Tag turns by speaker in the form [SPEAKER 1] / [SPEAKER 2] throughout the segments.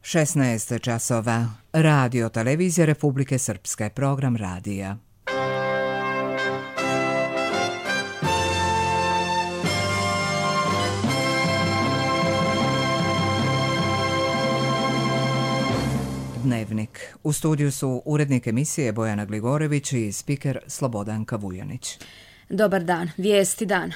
[SPEAKER 1] 16 časova. Radio Televizija Republike Srpske. Program radija. Dnevnik. U studiju su urednik emisije Bojana Gligorević i spiker Slobodanka Vujanić.
[SPEAKER 2] Dobar dan. Vijesti dana.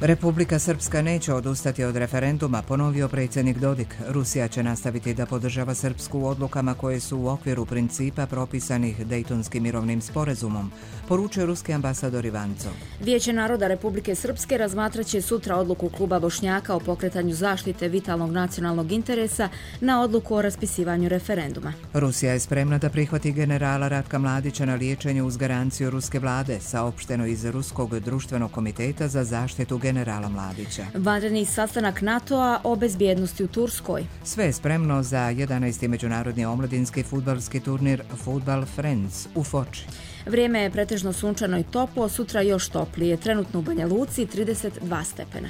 [SPEAKER 1] Republika Srpska neće odustati od referenduma, ponovio predsjednik Dodik. Rusija će nastaviti da podržava Srpsku u odlukama koje su u okviru principa propisanih Dejtonskim mirovnim sporazumom, poručio ruski ambasador Ivancov.
[SPEAKER 2] Vijeće naroda Republike Srpske razmatraće sutra odluku kluba Bošnjaka o pokretanju zaštite vitalnog nacionalnog interesa na odluku o raspisivanju referenduma.
[SPEAKER 1] Rusija je spremna da prihvati generala Ratka Mladića na liječenju uz garanciju ruske vlade, saopšteno iz Ruskog društvenog komiteta za zaštitu generala Mladića.
[SPEAKER 2] Vanredni sastanak NATO-a o bezbjednosti u Turskoj.
[SPEAKER 1] Sve je spremno za 11. međunarodni omladinski fudbalski turnir Football Friends u Foči.
[SPEAKER 2] Vrijeme je pretežno sunčano i toplo, sutra još toplije, trenutno u Banja Luci 32 stepena.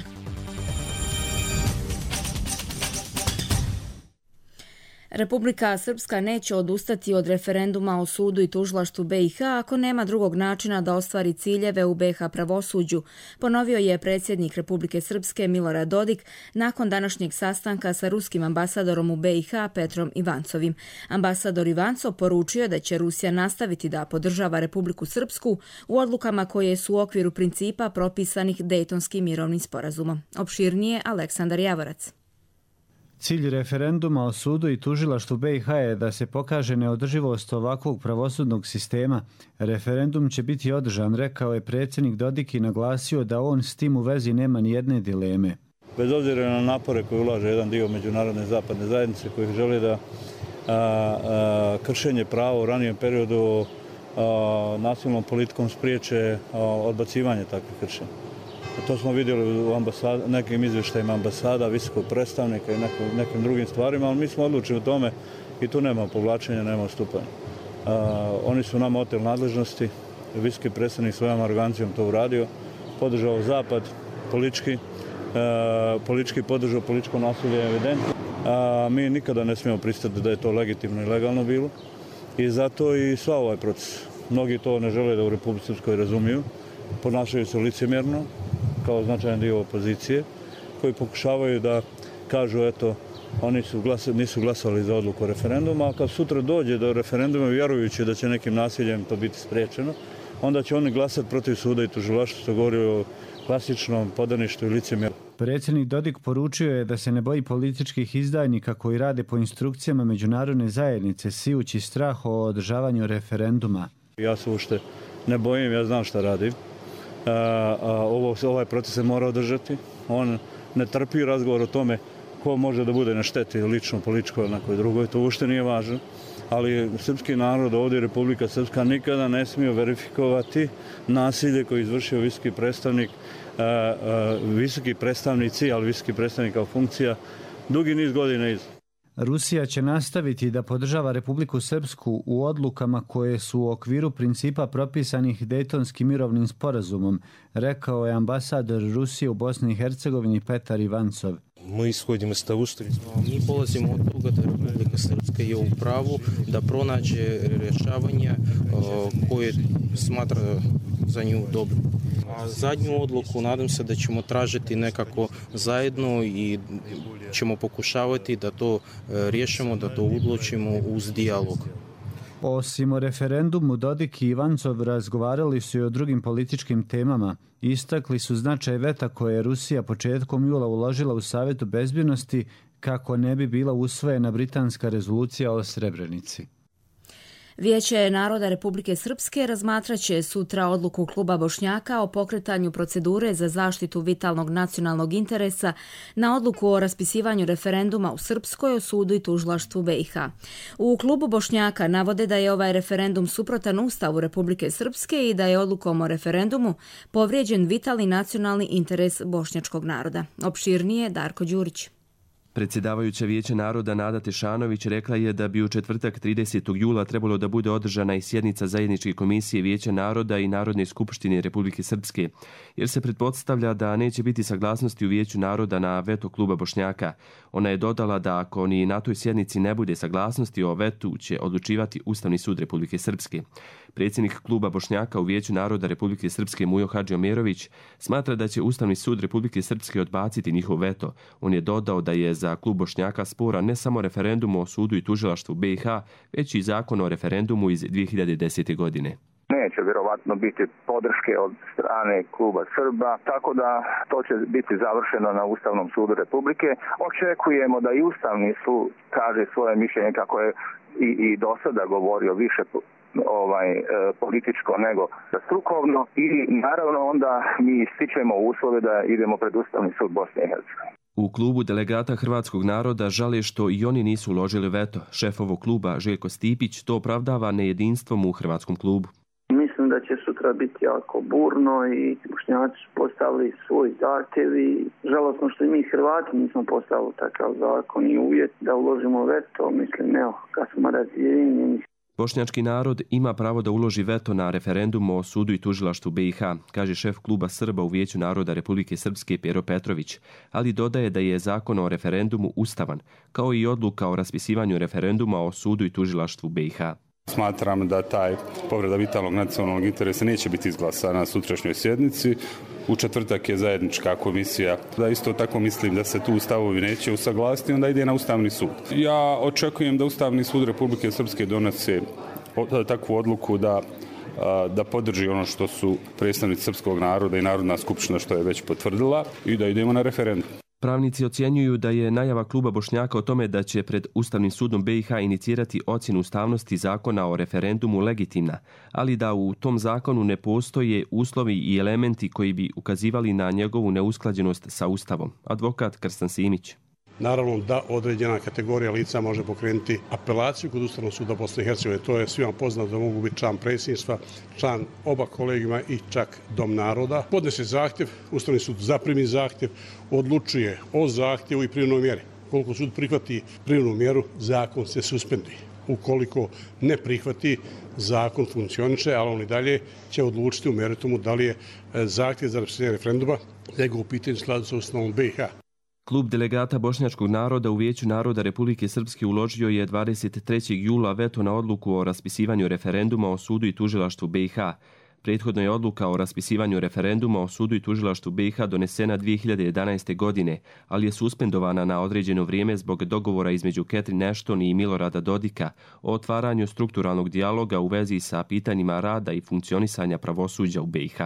[SPEAKER 2] Republika Srpska neće odustati od referenduma o sudu i tužilaštvu BiH ako nema drugog načina da ostvari ciljeve u BiH pravosuđu, ponovio je predsjednik Republike Srpske Milorad Dodik nakon današnjeg sastanka sa ruskim ambasadorom u BiH Petrom Ivancovim. Ambasador Ivancov poručio da će Rusija nastaviti da podržava Republiku Srpsku u odlukama koje su u okviru principa propisanih Dejtonskim mirovnim sporazumom. Opširnije Aleksandar Javorac.
[SPEAKER 3] Cilj referenduma o sudu i tužilaštvu BiH je da se pokaže neodrživost ovakvog pravosudnog sistema. Referendum će biti održan, rekao je predsjednik Dodik i naglasio da on s tim u vezi nema ni jedne dileme.
[SPEAKER 4] Bez obzira na napore koje ulaže jedan dio međunarodne zapadne zajednice koji želi da kršenje prava u ranijem periodu nasilnom politikom spriječe odbacivanje takvih kršenja. To smo vidjeli u nekim izvještajima ambasada, visokog predstavnika i nekim drugim stvarima, ali mi smo odlučili u tome i tu nema povlačenja, nema odstupanja. Oni su nama oteli nadležnosti, visoki predstavnik svojom arogancijom to uradio, podržao Zapad politički podržao političko nasilje evidentno. Mi nikada ne smijemo pristati da je to legitimno i legalno bilo i zato i sva ovaj proces. Mnogi to ne žele da u Republici Srpskoj razumiju, ponašaju se licemjerno, kao značajan dio opozicije, koji pokušavaju da kažu, eto, oni nisu glasali za odluku referenduma, a kad sutra dođe do referenduma, vjerujući da će nekim nasiljem to biti spriječeno, onda će oni glasati protiv suda i tužilaštva, što govori o klasičnom podaništvu i licemjerju.
[SPEAKER 3] Predsjednik Dodik poručio je da se ne boji političkih izdajnika koji rade po instrukcijama međunarodne zajednice, sijući strah o održavanju referenduma.
[SPEAKER 4] Ja se uopšte ne bojim, ja znam šta radim. Ovaj proces se mora održati. On ne trpi razgovor o tome ko može da bude na šteti lično, političko ili nekoj drugoj. To uopšte nije važno. Ali srpski narod ovdje, Republika Srpska, nikada ne smije verifikovati nasilje koje je izvršio visoki predstavnik, visoki predstavnici, ali visoki predstavnik kao funkcija, dugi niz godina iza.
[SPEAKER 3] Rusija će nastaviti da podržava Republiku Srpsku u odlukama koje su u okviru principa propisanih Dejtonskim mirovnim sporazumom, rekao je ambasador Rusije u Bosni i Hercegovini Petar Ivancov.
[SPEAKER 5] Mi polazimo od toga da Republika Srpska je u pravu da pronađe rješavanje koje smatra za nju dobro. A zadnju odluku nadam se da ćemo tražiti nekako zajedno i ćemo pokušavati da to riješimo, da to odlučimo uz dijalog.
[SPEAKER 3] Osim o referendumu, Dodik i Ivancov razgovarali su i o drugim političkim temama. Istakli su značaj veta koje je Rusija početkom jula uložila u Savjetu bezbjednosti kako ne bi bila usvojena britanska rezolucija o Srebrenici.
[SPEAKER 2] Vijeće naroda Republike Srpske razmatraće sutra odluku kluba Bošnjaka o pokretanju procedure za zaštitu vitalnog nacionalnog interesa na odluku o raspisivanju referenduma u Srpskoj o sudu i tužilaštvu BiH. U klubu Bošnjaka navode da je ovaj referendum suprotan Ustavu Republike Srpske i da je odlukom o referendumu povrijeđen vitalni nacionalni interes bošnjačkog naroda. Opširnije Darko Đurić.
[SPEAKER 6] Predsjedavajuća Vijeća naroda Nada Tešanović rekla je da bi u četvrtak 30. jula trebalo da bude održana i sjednica zajedničke komisije Vijeća naroda i Narodne skupštine Republike Srpske, jer se pretpostavlja da neće biti saglasnosti u Vijeću naroda na veto kluba Bošnjaka. Ona je dodala da ako ni na toj sjednici ne bude saglasnosti o vetu, će odlučivati Ustavni sud Republike Srpske. Predsjednik kluba Bošnjaka u Vijeću naroda Republike Srpske Mujo Hadžiomerović smatra da će Ustavni sud Republike Srpske odbaciti njihov veto. On je dodao da je za klub Bošnjaka spora ne samo referendum o sudu i tužilaštvu BiH, već i zakon o referendumu iz 2010. godine.
[SPEAKER 7] Neće vjerovatno biti podrške od strane kluba Srba, tako da to će biti završeno na Ustavnom sudu Republike. Očekujemo da i Ustavni sud kaže svoje mišljenje, kako je i do sada govorio, više političko nego strukovno, i naravno onda mi ističemo uslove da idemo pred Ustavni sud Bosne i Hercegovine.
[SPEAKER 6] U klubu delegata Hrvatskog naroda žale što i oni nisu uložili veto. Šef ovog kluba Željko Stipić to opravdava nejedinstvom u Hrvatskom klubu.
[SPEAKER 8] Mislim da će sutra biti jako burno i Bošnjaci su postavili svoj zahtjev i žalosno što i mi Hrvati nismo postavili takav zakon i uvjet da uložimo veto. Mislim, evo, kad smo razjedinjeni.
[SPEAKER 6] Bošnjački narod ima pravo da uloži veto na referendum o sudu i tužilaštvu BiH, kaže šef kluba Srba u Vijeću naroda Republike Srpske Pero Petrović, ali dodaje da je zakon o referendumu ustavan, kao i odluka o raspisivanju referenduma o sudu i tužilaštvu BiH.
[SPEAKER 9] Smatram da taj povreda vitalnog nacionalnog interesa neće biti izglasana na sutrašnjoj sjednici. U četvrtak je zajednička komisija. Da isto tako mislim da se tu stavovi neće usaglasiti, onda ide na Ustavni sud. Ja očekujem da Ustavni sud Republike Srpske donese takvu odluku da podrži ono što su predstavnici srpskog naroda i Narodna skupština što je već potvrdila i da idemo na referendum.
[SPEAKER 6] Pravnici ocjenjuju da je najava kluba Bošnjaka o tome da će pred Ustavnim sudom BiH inicirati ocjenu ustavnosti zakona o referendumu legitimna, ali da u tom zakonu ne postoje uslovi i elementi koji bi ukazivali na njegovu neusklađenost sa Ustavom. Advokat Krstan Simić.
[SPEAKER 10] Naravno da određena kategorija lica može pokrenuti apelaciju kod Ustavnog suda Bosne i Hercegovine. To je svima poznato da mogu biti član predsjedništva, član oba kolegijuma i čak Dom naroda. Podnese zahtjev, Ustavni sud zaprimi zahtjev, odlučuje o zahtjevu i privremenoj mjeri. Koliko sud prihvati privremenu mjeru, zakon se suspenduje. Ukoliko ne prihvati, zakon funkcioniše, ali on i dalje će odlučiti u meritumu da li je zahtjev za raspisivanje referenduma njegov pitanje u skladu sa Ustavom BiH.
[SPEAKER 6] Klub delegata Bošnjačkog naroda u Vijeću naroda Republike Srpske uložio je 23. jula veto na odluku o raspisivanju referenduma o sudu i tužilaštvu BiH. Prethodno je odluka o raspisivanju referenduma o sudu i tužilaštvu BiH donesena 2011. godine, ali je suspendovana na određeno vrijeme zbog dogovora između Catherine Ashton i Milorada Dodika o otvaranju strukturalnog dijaloga u vezi sa pitanjima rada i funkcionisanja pravosuđa u BiH.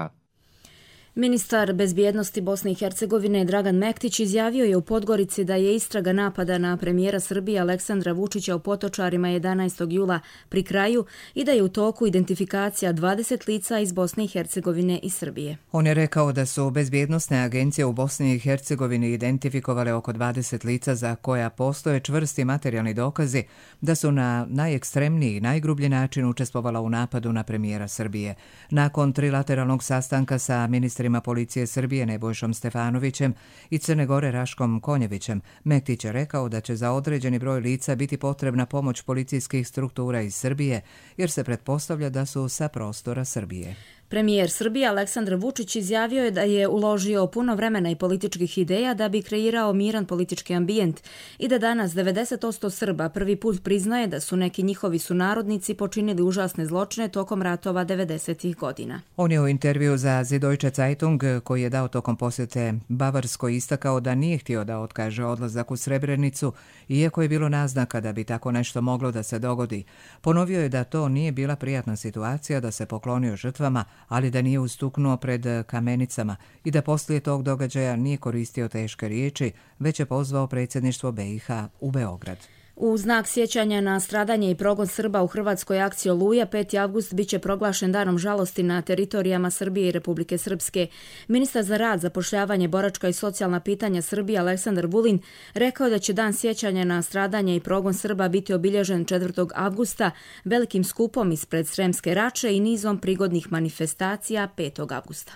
[SPEAKER 2] Ministar bezbjednosti Bosne i Hercegovine Dragan Mektić izjavio je u Podgorici da je istraga napada na premijera Srbije Aleksandra Vučića u Potočarima 11. jula pri kraju i da je u toku identifikacija 20 lica iz Bosne i Hercegovine i Srbije.
[SPEAKER 1] On je rekao da su bezbjednosne agencije u Bosni i Hercegovini identifikovale oko 20 lica za koja postoje čvrsti materijalni dokazi da su na najekstremniji i najgrublji način učestvovala u napadu na premijera Srbije. Nakon trilateralnog sastanka sa ministrima policije Srbije Nebojšom Stefanovićem i Crne Gore Raškom Konjevićem, Mektić je rekao da će za određeni broj lica biti potrebna pomoć policijskih struktura iz Srbije, jer se pretpostavlja da su sa prostora Srbije.
[SPEAKER 2] Premijer Srbije Aleksandar Vučić izjavio je da je uložio puno vremena i političkih ideja da bi kreirao miran politički ambijent i da danas 90% Srba prvi put priznaje da su neki njihovi sunarodnici počinili užasne zločine tokom ratova 90. godina.
[SPEAKER 1] On je u intervju za Süddeutsche Zeitung koji je dao tokom posjete Bavarskoj istakao da nije htio da otkaže odlazak u Srebrenicu, iako je bilo naznaka da bi tako nešto moglo da se dogodi. Ponovio je da to nije bila prijatna situacija, da se poklonio žrtvama, ali da nije ustuknuo pred kamenicama i da poslije tog događaja nije koristio teške riječi, već je pozvao predsjedništvo BiH u Beograd.
[SPEAKER 2] U znak sjećanja na stradanje i progon Srba u Hrvatskoj akciji Oluja, 5. avgust biće proglašen danom žalosti na teritorijama Srbije i Republike Srpske. Ministar za rad, zapošljavanje, boračka i socijalna pitanja Srbije Aleksandar Vulin rekao da će dan sjećanja na stradanje i progon Srba biti obilježen 4. avgusta velikim skupom ispred Sremske Rače i nizom prigodnih manifestacija 5. avgusta.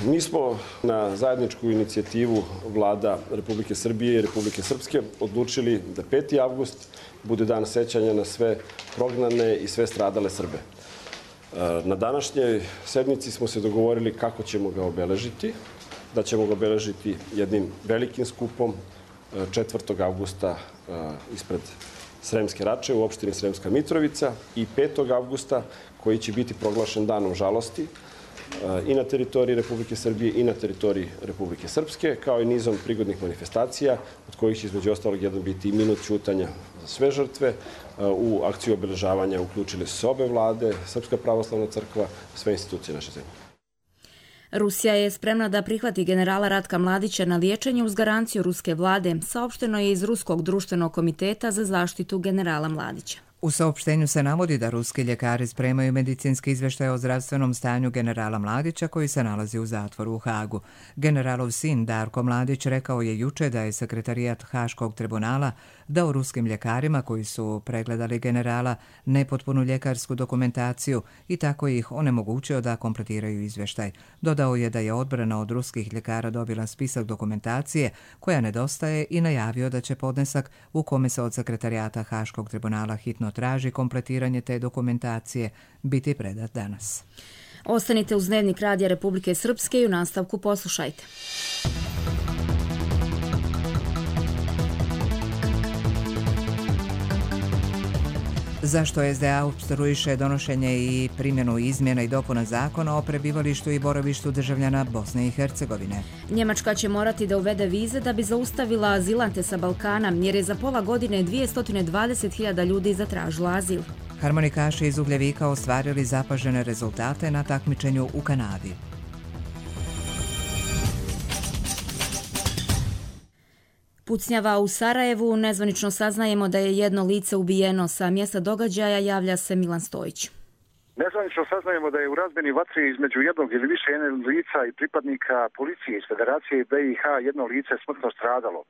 [SPEAKER 11] Mi smo na zajedničku inicijativu vlada Republike Srbije i Republike Srpske odlučili da 5. avgust bude dan sećanja na sve prognane i sve stradale Srbe. Na današnjoj sednici smo se dogovorili kako ćemo ga obeležiti, da ćemo ga obeležiti jednim velikim skupom 4. avgusta ispred Sremske Rače u opštini Sremska Mitrovica i 5. avgusta koji će biti proglašen danom žalosti i na teritoriji Republike Srbije i na teritoriji Republike Srpske, kao i nizom prigodnih manifestacija, od kojih će između ostalog jedan biti i minut ćutanja za sve žrtve. U akciju obeležavanja uključili su se obe vlade, Srpska pravoslavna crkva, sve institucije naše zemlje.
[SPEAKER 2] Rusija je spremna da prihvati generala Ratka Mladića na liječenje uz garanciju ruske vlade, saopšteno je iz Ruskog društvenog komiteta za zaštitu generala Mladića.
[SPEAKER 1] U saopštenju se navodi da ruski ljekari spremaju medicinski izveštaj o zdravstvenom stanju generala Mladića koji se nalazi u zatvoru u Hagu. Generalov sin Darko Mladić rekao je juče da je sekretarijat Haškog tribunala dao ruskim ljekarima koji su pregledali generala nepotpunu ljekarsku dokumentaciju i tako ih onemogućio da kompletiraju izveštaj. Dodao je da je odbrana od ruskih ljekara dobila spisak dokumentacije koja nedostaje i najavio da će podnesak u kome se od sekretarijata Haškog tribunala hitno traži kompletiranje te dokumentacije biti predat danas.
[SPEAKER 2] Ostanite uz Dnevnik Radija Republike Srpske i u nastavku poslušajte.
[SPEAKER 1] Zašto SDA opstruiše donošenje i primjenu izmjena i dopuna zakona o prebivalištu i boravištu državljana Bosne i Hercegovine?
[SPEAKER 2] Njemačka će morati da uvede vize da bi zaustavila azilante sa Balkana, jer je za pola godine 220.000 ljudi zatražilo azil.
[SPEAKER 1] Harmonikaši iz Ugljevika ostvarili zapažene rezultate na takmičenju u Kanadi.
[SPEAKER 2] Pucnjava u Sarajevu, nezvanično saznajemo da je jedno lice ubijeno. Sa mjesta događaja javlja se Milan Stojić.
[SPEAKER 12] Nezvanično saznajemo da je u razmjeni vatre između jednog ili više lica i pripadnika policije iz Federacije BiH jedno lice smrtno stradalo.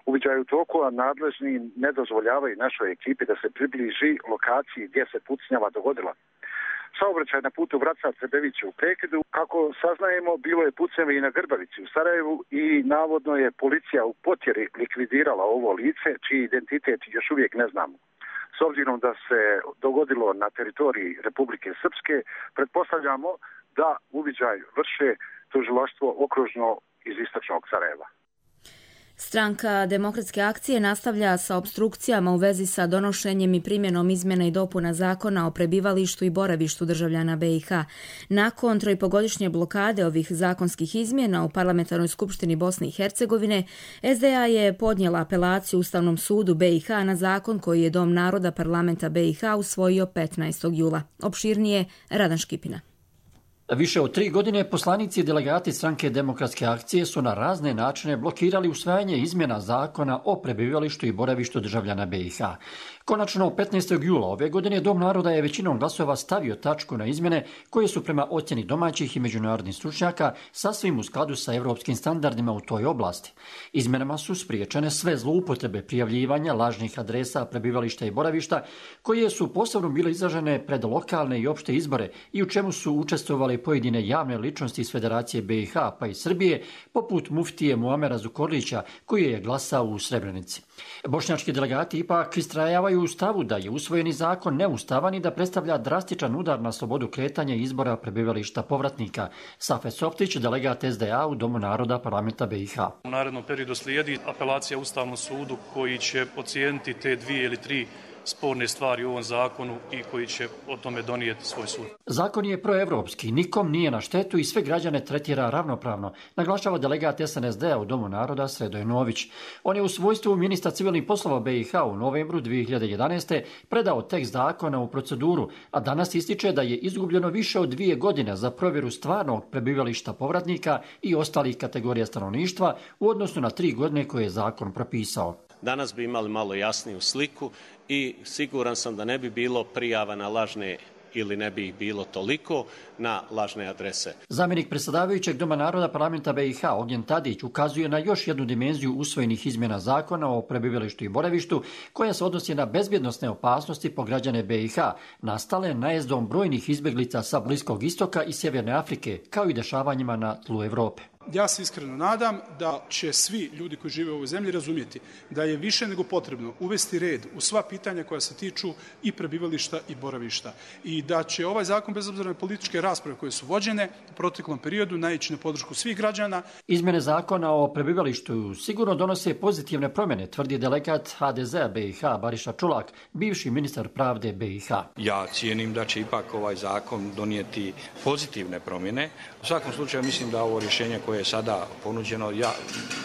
[SPEAKER 12] Uviđaj u toku, a nadležni ne dozvoljavaju našoj ekipi da se približi lokaciji gdje se pucnjava dogodila. Saobraćaj na putu Vračar-Trebević u prekidu. Kako saznajemo, bilo je pucnjave i na Grbavici u Sarajevu i navodno je policija u potjeri likvidirala ovo lice, čiji identitet još uvijek ne znamo. S obzirom da se dogodilo na teritoriji Republike Srpske, pretpostavljamo da uviđaj vrše tužilaštvo okružno iz istočnog Sarajeva.
[SPEAKER 2] Stranka Demokratske akcije nastavlja sa opstrukcijama u vezi sa donošenjem i primjenom izmjena i dopuna zakona o prebivalištu i boravištu državljana BiH. Nakon 3,5-godišnje blokade ovih zakonskih izmjena u Parlamentarnoj skupštini Bosne i Hercegovine, SDA je podnijela apelaciju Ustavnom sudu BiH na zakon koji je Dom naroda parlamenta BiH usvojio 15. jula. Opširnije Radan Škipina.
[SPEAKER 13] Više od 3 godine poslanici i delegati stranke Demokratske akcije su na razne načine blokirali usvajanje izmjena zakona o prebivalištu i boravištu državljana BiH. Konačno, 15. jula ove godine Dom naroda je većinom glasova stavio tačku na izmjene koje su prema ocjeni domaćih i međunarodnih stručnjaka sasvim u skladu sa europskim standardima u toj oblasti. Izmjenama su spriječene sve zloupotrebe prijavljivanja lažnih adresa prebivališta i boravišta koje su posebno bile izražene pred lokalne i opšte izbore i u čemu su učestvovali pojedine javne ličnosti iz Federacije BiH pa i Srbije, poput muftije Muamera Zukorlića koji je glasao u Srebrenici. Bošnjački delegati ipak istrajavaju u stavu da je usvojeni zakon neustavan i da predstavlja drastičan udar na slobodu kretanja i izbora prebivališta povratnika. Safet Softić, delegat SDA u Domu naroda parlamenta BiH.
[SPEAKER 14] U narednom periodu slijedi apelacija Ustavnom sudu koji će ocijeniti te 2 ili 3 sporne stvari u ovom zakonu i koji će o tome donijeti svoj sud.
[SPEAKER 13] Zakon je proevropski, nikom nije na štetu i sve građane tretira ravnopravno, naglašava delegat SNSD-a u Domu naroda Sredoj Nović. On je u svojstvu ministra civilnih poslova BiH u novembru 2011. predao tekst zakona u proceduru, a danas ističe da je izgubljeno više od 2 godine za provjeru stvarnog prebivališta povratnika i ostalih kategorija stanovništva u odnosu na 3 godine koje je zakon propisao.
[SPEAKER 15] Danas bi imali malo jasniju sliku i siguran sam da ne bi bilo prijava na lažne ili ne bi ih bilo toliko na lažne adrese.
[SPEAKER 13] Zamjenik predsjedavajućeg Doma naroda parlamenta BiH Ognjen Tadić ukazuje na još jednu dimenziju usvojenih izmjena zakona o prebivalištu i boravištu koja se odnosi na bezbjednosne opasnosti po građane BiH nastale najezdom brojnih izbjeglica sa Bliskog istoka i Sjeverne Afrike kao i dešavanjima na tlu Europe.
[SPEAKER 16] Ja se iskreno nadam da će svi ljudi koji žive u ovoj zemlji razumjeti da je više nego potrebno uvesti red u sva pitanja koja se tiču i prebivališta i boravišta i da će ovaj zakon, bez obzira na političke rasprave koje su vođene u proteklom periodu, naići na podršku svih građana.
[SPEAKER 13] Izmjene zakona o prebivalištu sigurno donose pozitivne promjene, tvrdi delegat HDZ-a BiH Bariša Čulak, bivši ministar pravde BiH.
[SPEAKER 17] Ja cijenim da će ipak ovaj zakon donijeti pozitivne promjene. U svakom slučaju mislim da ovo rješenje koje je sada ponuđeno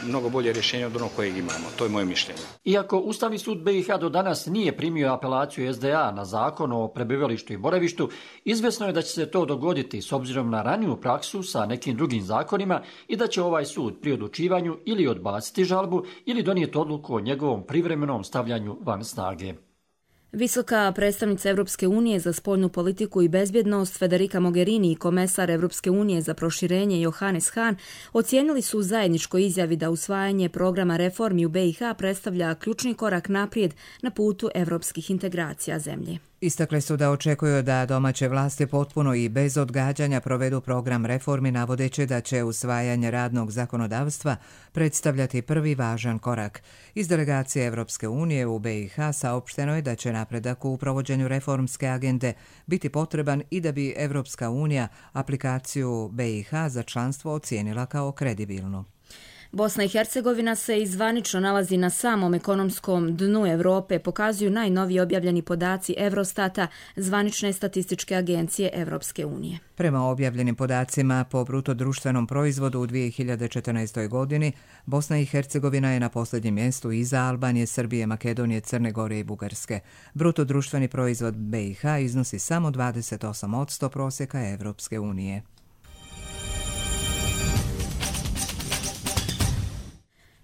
[SPEAKER 17] mnogo bolje rješenje od onog kojeg imamo. To je moje mišljenje.
[SPEAKER 13] Iako Ustavni sud BiH do danas nije primio apelaciju SDA na zakon o prebivalištu i boravištu, izvesno je da će se to dogoditi s obzirom na raniju praksu sa nekim drugim zakonima i da će ovaj sud pri odlučivanju ili odbaciti žalbu ili donijeti odluku o njegovom privremenom stavljanju van snage.
[SPEAKER 2] Visoka predstavnica Europske unije za spoljnu politiku i bezbjednost Federica Mogherini i komesar Europske unije za proširenje Johannes Hahn ocijenili su u zajedničkoj izjavi da usvajanje programa reformi u BiH predstavlja ključni korak naprijed na putu europskih integracija zemlje.
[SPEAKER 1] Istakli su da očekuju da domaće vlasti potpuno i bez odgađanja provedu program reformi, navodeći da će usvajanje radnog zakonodavstva predstavljati prvi važan korak. Iz delegacije Europske unije u BiH saopšteno je da će napredak u provođenju reformske agende biti potreban i da bi Europska unija aplikaciju BiH za članstvo ocijenila kao kredibilnu.
[SPEAKER 2] Bosna i Hercegovina se zvanično nalazi na samom ekonomskom dnu Europe, pokazuju najnoviji objavljeni podaci Eurostata, zvanične statističke agencije Europske unije.
[SPEAKER 1] Prema objavljenim podacima po bruto društvenom proizvodu u 2014. godini, Bosna i Hercegovina je na posljednjem mjestu iza Albanije, Srbije, Makedonije, Crne Gore i Bugarske. Bruto društveni proizvod BiH iznosi samo 28% prosjeka Europske unije.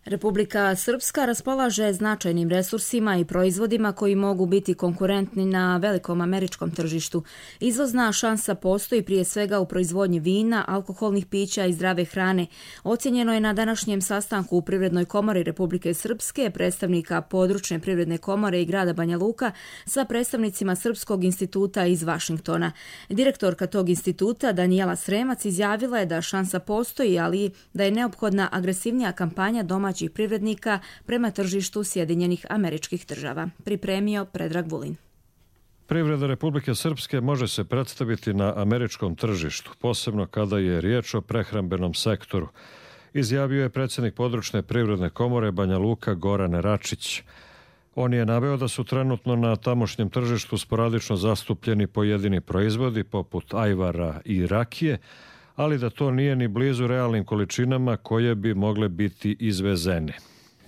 [SPEAKER 2] Republika Srpska raspolaže značajnim resursima i proizvodima koji mogu biti konkurentni na velikom američkom tržištu. Izvozna šansa postoji prije svega u proizvodnji vina, alkoholnih pića i zdrave hrane. Ocijenjeno je na današnjem sastanku u Privrednoj komori Republike Srpske, predstavnika područne privredne komore i grada Banja Luka sa predstavnicima Srpskog instituta iz Vašingtona. Direktorka tog instituta Danijela Sremac izjavila je da šansa postoji, ali da je neophodna agresivnija kampanja domaćih privrednika prema tržištu Sjedinjenih Američkih Država. Pripremio Predrag Vulin.
[SPEAKER 18] Privreda Republike Srpske može se predstaviti na američkom tržištu, posebno kada je riječ o prehrambenom sektoru, izjavio je predsjednik područne privredne komore Banja Luka Goran Račić. On je naveo da su trenutno na tamošnjem tržištu sporadično zastupljeni pojedini proizvodi poput ajvara i rakije, ali da to nije ni blizu realnim količinama koje bi mogle biti izvezene.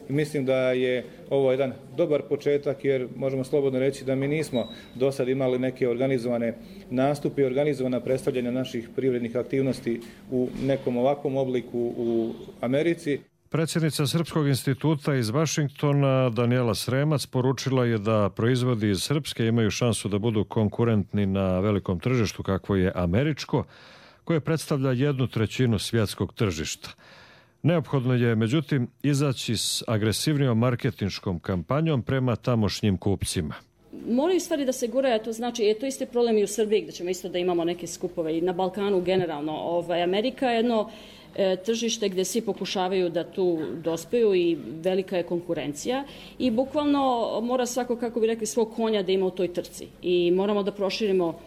[SPEAKER 19] Mislim da je ovo jedan dobar početak jer možemo slobodno reći da mi nismo do sad imali neke organizovane nastupe i organizovana predstavljanja naših privrednih aktivnosti u nekom ovakvom obliku u Americi.
[SPEAKER 18] Predsjednica Srpskog instituta iz Vašingtona Danijela Sremac poručila je da proizvodi iz Srpske imaju šansu da budu konkurentni na velikom tržištu kakvo je američko, koje predstavlja 1/3 svjetskog tržišta. Neophodno je, međutim, izaći s agresivnijom marketinškom kampanjom prema tamošnjim kupcima.
[SPEAKER 20] Moraju stvari da se guraju, to znači, to isti problem i u Srbiji, gdje ćemo isto da imamo neke skupove i na Balkanu generalno. Amerika je jedno tržište gdje svi pokušavaju da tu dospeju i velika je konkurencija i bukvalno mora svako, kako bi rekli, svog konja da ima u toj trci i moramo da proširimo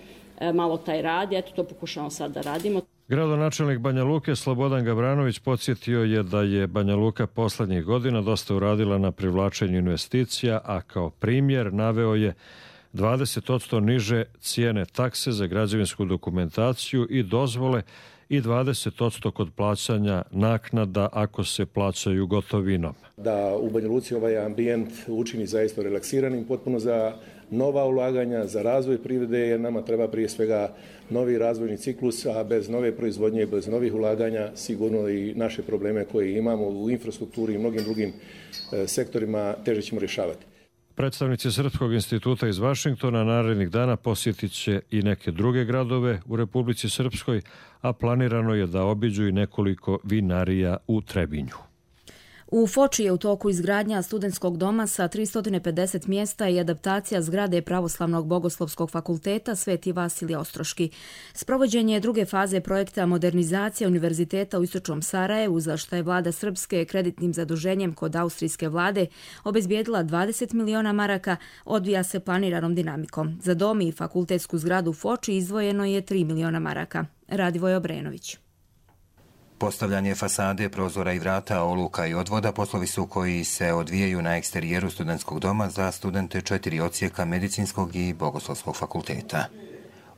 [SPEAKER 20] malo taj rad, eto to pokušamo sad da radimo.
[SPEAKER 18] Gradonačelnik Banja Luke Slobodan Gavranović podsjetio je da je Banja Luka poslednjih godina dosta uradila na privlačenju investicija, a kao primjer naveo je 20% niže cijene takse za građevinsku dokumentaciju i dozvole i 20% kod plaćanja naknada ako se plaćaju gotovinom.
[SPEAKER 21] Da u Banja Luci ovaj ambijent učini zaista relaksiranim, potpuno za nova ulaganja, za razvoj privrede, jer nama treba prije svega novi razvojni ciklus, a bez nove proizvodnje, bez novih ulaganja sigurno i naše probleme koje imamo u infrastrukturi i mnogim drugim sektorima teže ćemo rješavati.
[SPEAKER 18] Predstavnici Srpskog instituta iz Vašingtona narednih dana posjetit će i neke druge gradove u Republici Srpskoj, a planirano je da obiđu i nekoliko vinarija u Trebinju.
[SPEAKER 2] U Foči je u toku izgradnja studentskog doma sa 350 mjesta i adaptacija zgrade Pravoslavnog bogoslovskog fakulteta Sveti Vasilije Ostroški. Sprovođenje druge faze projekta modernizacija Univerziteta u Istočnom Sarajevu, za što je vlada Srpske kreditnim zaduženjem kod austrijske vlade obezbijedila 20 miliona maraka, odvija se planiranom dinamikom. Za dom i fakultetsku zgradu u Foči izdvojeno je 3 miliona maraka. Radivoj Obrenović.
[SPEAKER 4] Postavljanje fasade, prozora i vrata, oluka i odvoda poslovi su koji se odvijaju na eksterijeru studentskog doma za studente 4 odsjeka medicinskog i bogoslovskog fakulteta.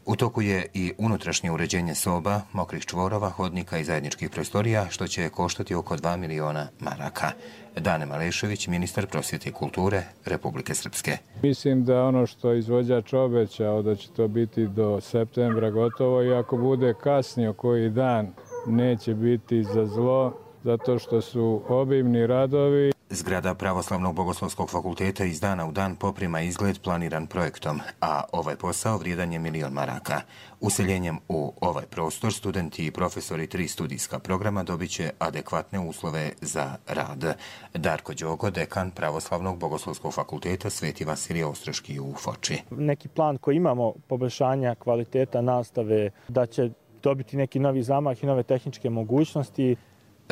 [SPEAKER 4] U toku je i unutrašnje uređenje soba, mokrih čvorova, hodnika i zajedničkih prostorija, što će koštati oko 2 miliona maraka. Dane Malešević, ministar prosvjete i kulture Republike Srpske.
[SPEAKER 22] Mislim da ono što izvođač obećao da će to biti do septembra gotovo, i ako bude kasnio koji dan, neće biti za zlo, zato što su obimni radovi.
[SPEAKER 4] Zgrada Pravoslavnog bogoslovskog fakulteta iz dana u dan poprima izgled planiran projektom, a ovaj posao vrijedan je 1 milion maraka. Useljenjem u ovaj prostor studenti i profesori 3 studijska programa dobit će adekvatne uslove za rad. Darko Đogo, dekan Pravoslavnog bogoslovskog fakulteta Sveti Vasilije Ostroški u Foči.
[SPEAKER 23] Neki plan koji imamo poboljšanja kvaliteta nastave, da će dobiti neki novi zamah i nove tehničke mogućnosti.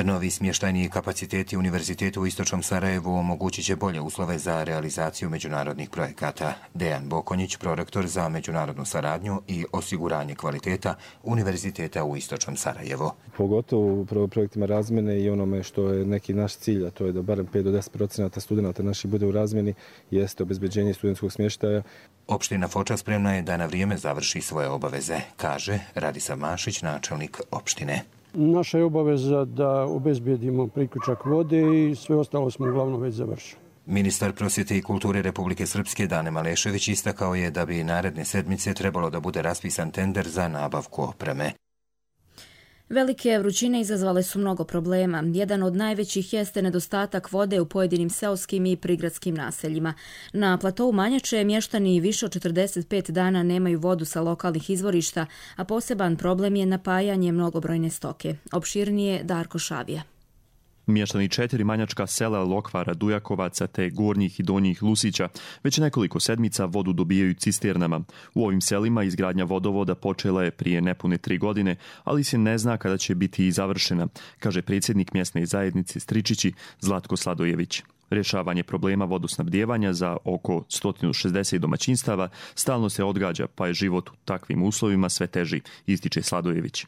[SPEAKER 4] Novi smještajni kapaciteti Univerziteta u Istočnom Sarajevu omogućit će bolje uslove za realizaciju međunarodnih projekata. Dejan Bokonjić, prorektor za međunarodnu saradnju i osiguranje kvaliteta Univerziteta u Istočnom Sarajevu.
[SPEAKER 24] Pogotovo u projektima razmjene i onome što je neki naš cilj, a to je da barem 5 do 10% studenta naših bude u razmjeni, jeste obezbeđenje studentskog smještaja.
[SPEAKER 4] Opština Foča spremna je da na vrijeme završi svoje obaveze, kaže Radisav Mašić, načelnik opštine.
[SPEAKER 25] Naša je obaveza da obezbijedimo priključak vode i sve ostalo smo uglavnom već završili.
[SPEAKER 4] Ministar prosvjete i kulture Republike Srpske Dane Malešević istakao je da bi naredne sedmice trebalo da bude raspisan tender za nabavku opreme.
[SPEAKER 2] Velike vrućine izazvale su mnogo problema. Jedan od najvećih jeste nedostatak vode u pojedinim seoskim i prigradskim naseljima. Na platovu Manjače mještani više od 45 dana nemaju vodu sa lokalnih izvorišta, a poseban problem je napajanje mnogobrojne stoke. Opširnije Darko Šavija.
[SPEAKER 26] Mještani 4 manjačka sela Lokvara, Dujakovaca te Gornjih i Donjih Lusića već nekoliko sedmica vodu dobijaju cisternama. U ovim selima izgradnja vodovoda počela je prije nepune 3 godine, ali se ne zna kada će biti i završena, kaže predsjednik mjesne zajednice Stričići Zlatko Sladojević. Rješavanje problema vodosnabdijevanja za oko 160 domaćinstava stalno se odgađa, pa je život u takvim uslovima sve teži, ističe Sladojević.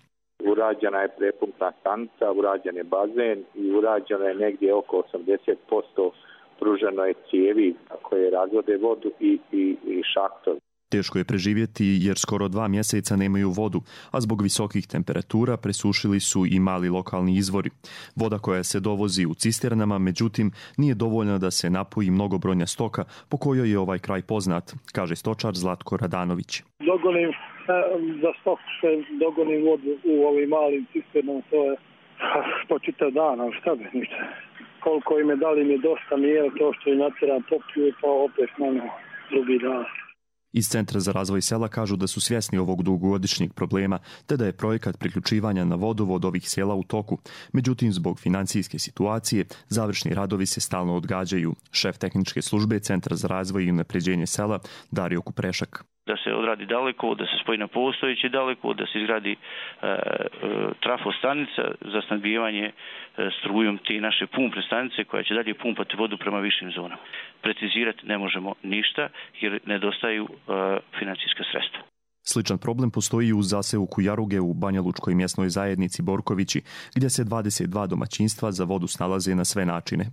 [SPEAKER 27] Urađena je prepumpna stanica, urađen je bazen i urađeno je negdje oko 80% pruženo je cijevi koje razvode vodu i šahtovi.
[SPEAKER 26] Teško je preživjeti jer skoro 2 mjeseca nemaju vodu, a zbog visokih temperatura presušili su i mali lokalni izvori. Voda koja se dovozi u cisternama, međutim, nije dovoljna da se napoji mnogobrojna stoka, po kojoj je ovaj kraj poznat, kaže stočar Zlatko Radanović.
[SPEAKER 28] Za stok se dogonim vodu u ovim malim cisternama, to je po čitav dan, ali šta bi ništa. Koliko im je dali mi dosta, nije to što je natjeran popiju, pa opet malo drugi dan.
[SPEAKER 26] Iz Centra za razvoj sela kažu da su svjesni ovog dugogodišnjeg problema, te da je projekat priključivanja na vodovod ovih sela u toku. Međutim, zbog financijske situacije, završni radovi se stalno odgađaju. Šef tehničke službe Centra za razvoj i unapređenje sela Dario Kuprešak.
[SPEAKER 29] Da se odradi daleko, da se spoji na postojeći daleko, da se izgradi trafostanica za snabdijevanje strujom te naše pumpne stanice koja će dalje pumpati vodu prema višim zonama. Precizirati ne možemo ništa jer nedostaju financijska sredstva.
[SPEAKER 26] Sličan problem postoji i u zaseoku Jaruge u Banja Lučkoj mjesnoj zajednici Borkovići, gdje se 22 domaćinstva za vodu snalaze na sve načine.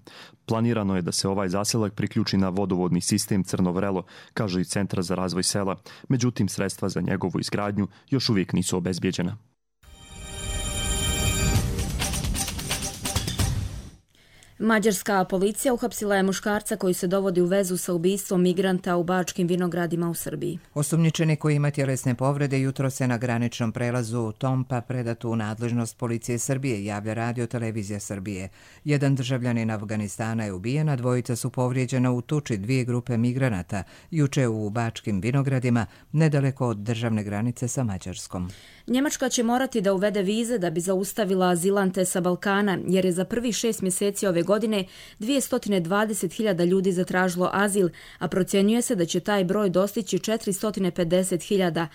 [SPEAKER 26] Planirano je da se ovaj zaselak priključi na vodovodni sistem Crno Vrelo, kaže i Centar za razvoj sela, međutim sredstva za njegovu izgradnju još uvijek nisu obezbijeđena.
[SPEAKER 2] Mađarska policija uhapsila je muškarca koji se dovodi u vezu sa ubistvom migranta u Bačkim Vinogradima u Srbiji.
[SPEAKER 1] Osumnjičeni koji ima tjelesne povrede jutro se na graničnom prelazu Tompa predat u nadležnost policije Srbije, javlja Radio Televizija Srbije. Jedan državljanin Afganistana je ubijen, a dvojica su povrijeđena u tuči dvije grupe migranata juče u Bačkim Vinogradima, nedaleko od državne granice sa Mađarskom.
[SPEAKER 2] Njemačka će morati da uvede vize da bi zaustavila azilante sa Balkana, jer je za prvih 6 mjeseci ove godine 220.000 ljudi zatražilo azil, a procjenjuje se da će taj broj dostići 450.000.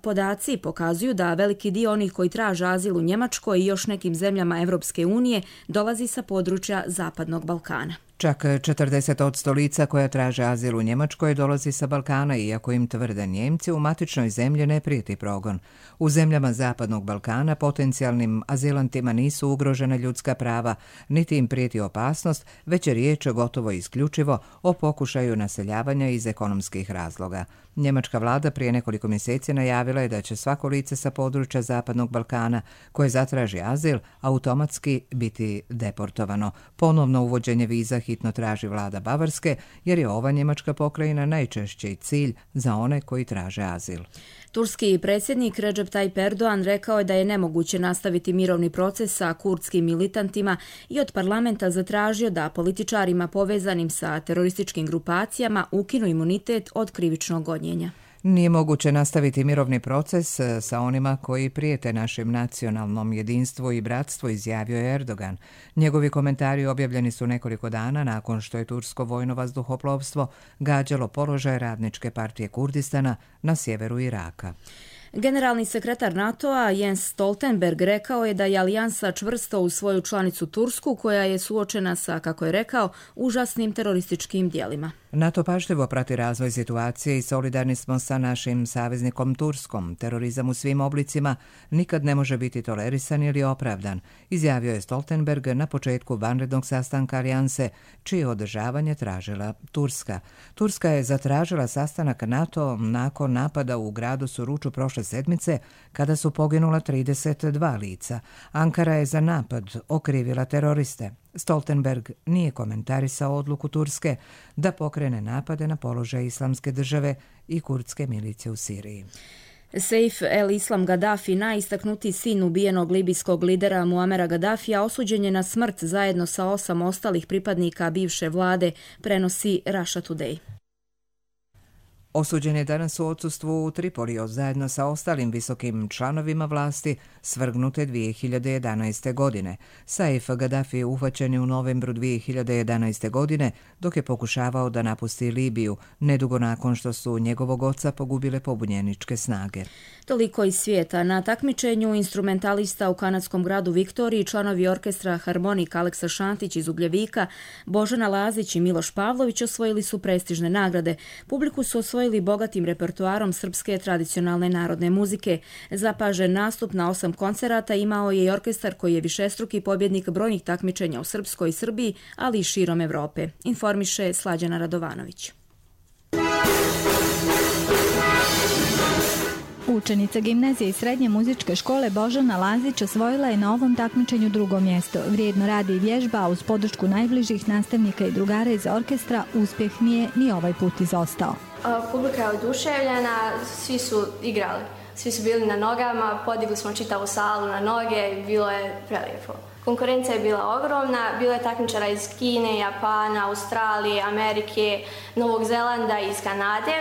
[SPEAKER 2] Podaci pokazuju da veliki dio onih koji traže azil u Njemačkoj i još nekim zemljama Evropske unije dolazi sa područja Zapadnog Balkana.
[SPEAKER 1] Čak 40% lica koja traže azil u Njemačkoj dolazi sa Balkana, iako im tvrde Njemci u matičnoj zemlji ne prijeti progon. U zemljama Zapadnog Balkana potencijalnim azilantima nisu ugrožena ljudska prava, niti im prijeti opasnost, već je riječ gotovo isključivo o pokušaju naseljavanja iz ekonomskih razloga. Njemačka vlada prije nekoliko mjeseci najavila je da će svako lice sa područja Zapadnog Balkana koje zatraži azil automatski biti deportovano. Ponovno uvođenje viza hitno traži vlada Bavarske, jer je ova njemačka pokrajina najčešći cilj za one koji traže azil.
[SPEAKER 2] Turski predsjednik Recep Tayyip Erdogan rekao je da je nemoguće nastaviti mirovni proces sa kurdskim militantima i od parlamenta zatražio da političarima povezanim sa terorističkim grupacijama ukinu imunitet od krivičnog gonjenja.
[SPEAKER 1] Nije moguće nastaviti mirovni proces sa onima koji prijete našem nacionalnom jedinstvu i bratstvu, izjavio je Erdogan. Njegovi komentari objavljeni su nekoliko dana nakon što je tursko vojno vazduhoplovstvo gađalo položaj Radničke partije Kurdistana na sjeveru Iraka.
[SPEAKER 2] Generalni sekretar NATO-a Jens Stoltenberg rekao je da je alijansa čvrsto uz svoju članicu Tursku, koja je suočena sa, kako je rekao, užasnim terorističkim djelima.
[SPEAKER 1] NATO pažljivo prati razvoj situacije i solidarni smo sa našim saveznikom Turskom. Terorizam u svim oblicima nikad ne može biti tolerisan ili opravdan, izjavio je Stoltenberg na početku vanrednog sastanka alijanse, čije održavanje tražila Turska. Turska je zatražila sastanak NATO nakon napada u gradu Suruču prošle sedmice, kada su poginula 32 lica. Ankara je za napad okrivila teroriste. Stoltenberg nije komentarisao odluku Turske da pokrene napade na položaj Islamske države i kurdske milicije u Siriji.
[SPEAKER 2] Saif el-Islam Gaddafi, najistaknutiji sin ubijenog libijskog lidera Muamera Gaddafija, osuđen je na smrt zajedno sa 8 ostalih pripadnika bivše vlade, prenosi Russia Today.
[SPEAKER 1] Osuđen je danas u odsustvu u Tripoliju zajedno sa ostalim visokim članovima vlasti svrgnute 2011. godine. Saif Gaddafi je uhvaćen u novembru 2011. godine dok je pokušavao da napusti Libiju, nedugo nakon što su njegovog oca pogubile pobunjeničke snage.
[SPEAKER 2] Toliko iz svijeta. Na takmičenju instrumentalista u kanadskom gradu Viktoriji članovi orkestra Harmonik Aleksa Šantić iz Ugljevika, Božana Lazić i Miloš Pavlović osvojili su prestižne nagrade. Publiku su osvojili bogatim repertoarom srpske tradicionalne narodne muzike. Zapažen nastup na 8 koncerata imao je i orkestar koji je višestruki pobjednik brojnih takmičenja u Srpskoj i Srbiji, ali i širom Evrope, informiše Slađana Radovanović.
[SPEAKER 3] Učenica gimnazije i srednje muzičke škole Božana Lazić osvojila je na ovom takmičenju drugo mjesto. Vrijedno radi i vježba, a uz podršku najbližih nastavnika i drugara iz orkestra uspjeh nije ni ovaj put izostao.
[SPEAKER 5] Publika je oduševljena, svi su igrali, svi su bili na nogama, podigli smo čitavu salu na noge i bilo je prelijepo. Konkurencija je bila ogromna, bilo je takmičara iz Kine, Japana, Australije, Amerike, Novog Zelanda i iz Kanade.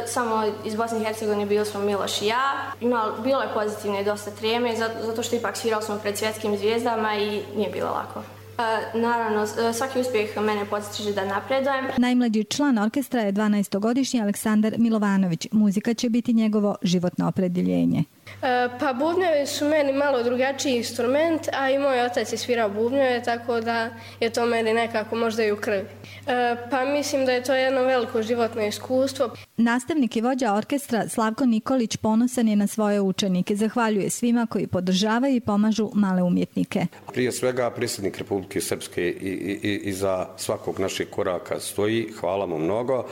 [SPEAKER 5] Samo iz Bosne i Hercegovine bili smo Miloš i ja. Bilo je pozitivno i dosta treme, zato što ipak svirali smo pred svjetskim zvijezdama i nije bilo lako. Naravno, svaki uspjeh mene potiče da napredujem.
[SPEAKER 3] Najmlađi član orkestra je 12-godišnji Aleksandar Milovanović. Muzika će biti njegovo životno opredjeljenje.
[SPEAKER 6] Pa bubnjevi su meni malo drugačiji instrument, a i moj otac je svirao bubnjeve, tako da je to meni nekako možda i u krvi. Pa mislim da je to jedno veliko životno iskustvo.
[SPEAKER 3] Nastavnik i vođa orkestra Slavko Nikolić ponosan je na svoje učenike. Zahvaljuje svima koji podržavaju i pomažu male umjetnike.
[SPEAKER 7] Prije svega predsjednik Republike Srpske i za svakog našeg koraka stoji. Hvala mu mnogo.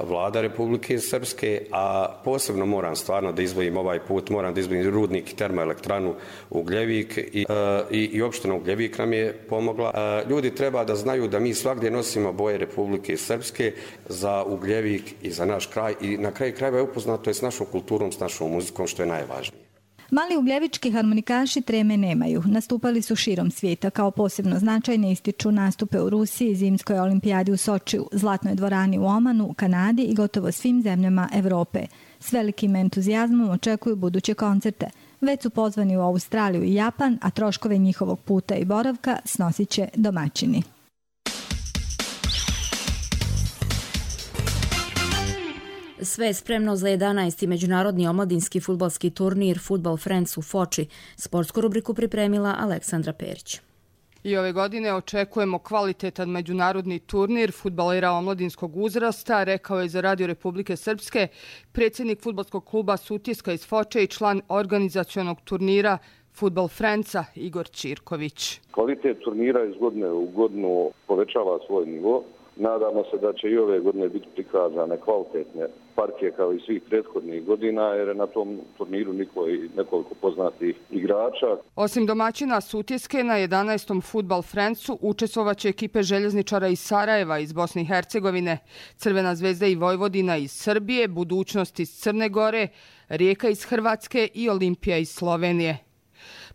[SPEAKER 7] vlada Republike Srpske, a posebno moram stvarno da izdvojim ovaj put, moram da izdvojim rudnik i termoelektranu Ugljevik i opština Ugljevik nam je pomogla. Ljudi treba da znaju da mi svagdje nosimo boje Republike Srpske za Ugljevik i za naš kraj i na kraju krajeva je upoznato je s našom kulturom, s našom muzikom, što je najvažnije.
[SPEAKER 3] Mali ugljevički harmonikaši treme nemaju. Nastupali su širom svijeta. Kao posebno značajne ističu nastupe u Rusiji, Zimskoj olimpijadi u Sočiju, Zlatnoj dvorani u Omanu, Kanadi i gotovo svim zemljama Evrope. S velikim entuzijazmom očekuju buduće koncerte. Već su pozvani u Australiju i Japan, a troškove njihovog puta i boravka snosit će domaćini.
[SPEAKER 2] Sve je spremno za 11. međunarodni omladinski fudbalski turnir Football Friends u Foči. Sportsku rubriku pripremila Aleksandra Perić.
[SPEAKER 8] I ove godine očekujemo kvalitetan međunarodni turnir fudbalera omladinskog uzrasta, rekao je za Radio Republike Srpske predsjednik fudbalskog kluba Sutjeska iz Foče i član organizacionog turnira Football Friendsa Igor Ćirković.
[SPEAKER 9] Kvalitet turnira iz godine u godinu povećava svoj nivo. Nadamo se da će i ove godine biti prikazane kvalitetne partije kao i svih prethodnih godina, jer je na tom turniru nekoliko poznatih igrača.
[SPEAKER 8] Osim domaćina Sutjeske, na 11. Football Friendsu učestvovaće ekipe željezničara iz Sarajeva, iz Bosne i Hercegovine, Crvena zvezda i Vojvodina iz Srbije, Budućnost iz Crne Gore, Rijeka iz Hrvatske i Olimpija iz Slovenije.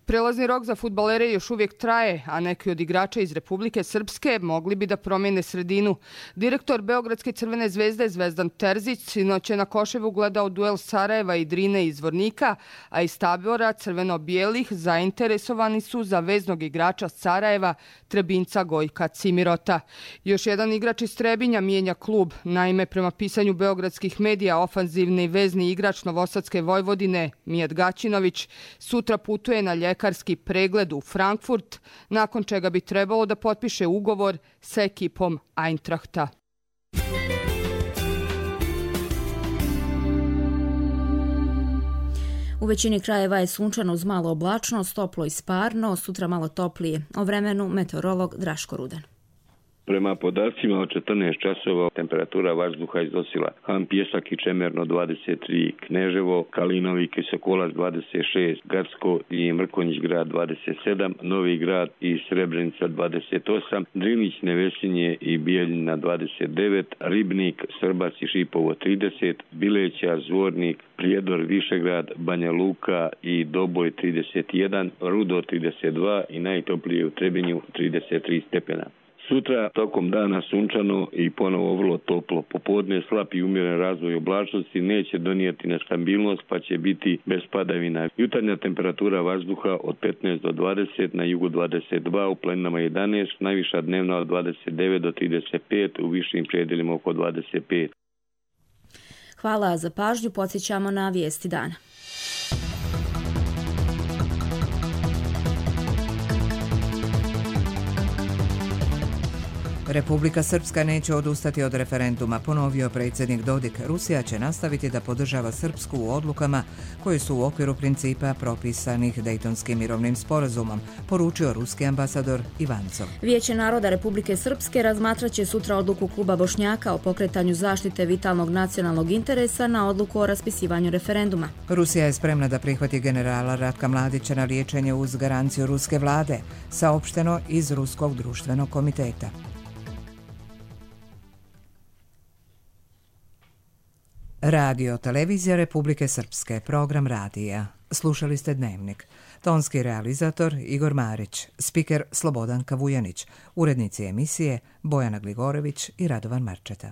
[SPEAKER 8] Prelazni rok za fudbalere još uvijek traje, a neki od igrača iz Republike Srpske mogli bi da promijene sredinu. Direktor Beogradske Crvene zvezde Zvezdan Terzić sinoć je na Koševu gledao duel Sarajeva i Drine iz Zvornika, a iz tabora crveno-bijelih zainteresovani su za veznog igrača Sarajeva, Trebinca Gojka Cimirota. Još jedan igrač iz Trebinja mijenja klub. Naime, prema pisanju beogradskih medija, ofanzivni vezni igrač Novosadske Vojvodine Mijat Gaćinović sutra putuje na ljekarski pregled u Frankfurt, nakon čega bi trebalo da potpiše ugovor sa ekipom Eintrachta.
[SPEAKER 2] U većini krajeva je sunčano uz malo oblačnost, toplo i sparno, sutra malo toplije. O vremenu meteorolog Draško Rudan.
[SPEAKER 10] Prema podacima od 14 časova temperatura vazduha iznosila Han Pjesak i Čemerno 23, Kneževo, Kalinovik i Sokolac 26, Gacko i Mrkonjić grad 27, Novi grad i Srebrenica 28, Drinić, Nevesinje i Bijeljina 29, Ribnik, Srbac i Šipovo 30, Bileća, Zvornik, Prijedor, Višegrad, Banja Luka i Doboj 31, Rudo 32 i najtoplije u Trebinju 33 stepena. Sutra tokom dana sunčano i ponovo vrlo toplo. Popodne slab i umjeren razvoj oblačnosti neće donijeti nestabilnost pa će biti bez padavina. Jutarnja temperatura vazduha od 15 do 20, na jugu 22, u planinama 11, najviša dnevna od 29 do 35, u višim predjelima oko 25.
[SPEAKER 2] Hvala za pažnju, podsjećamo na vijesti dana.
[SPEAKER 1] Republika Srpska neće odustati od referenduma, ponovio predsjednik Dodik. Rusija će nastaviti da podržava Srpsku u odlukama koje su u okviru principa propisanih Dejtonskim mirovnim sporazumom, poručio ruski ambasador Ivancov.
[SPEAKER 2] Vijeće naroda Republike Srpske razmatraće sutra odluku kluba Bošnjaka o pokretanju zaštite vitalnog nacionalnog interesa na odluku o raspisivanju referenduma.
[SPEAKER 1] Rusija je spremna da prihvati generala Ratka Mladića na liječenje uz garanciju ruske vlade, saopšteno iz Ruskog društvenog komiteta. Radio Televizija Republike Srpske, program radija. Slušali ste Dnevnik. Tonski realizator Igor Marić, spiker Slobodan Kavujanić, urednici emisije Bojana Gligorević i Radovan Marčeta.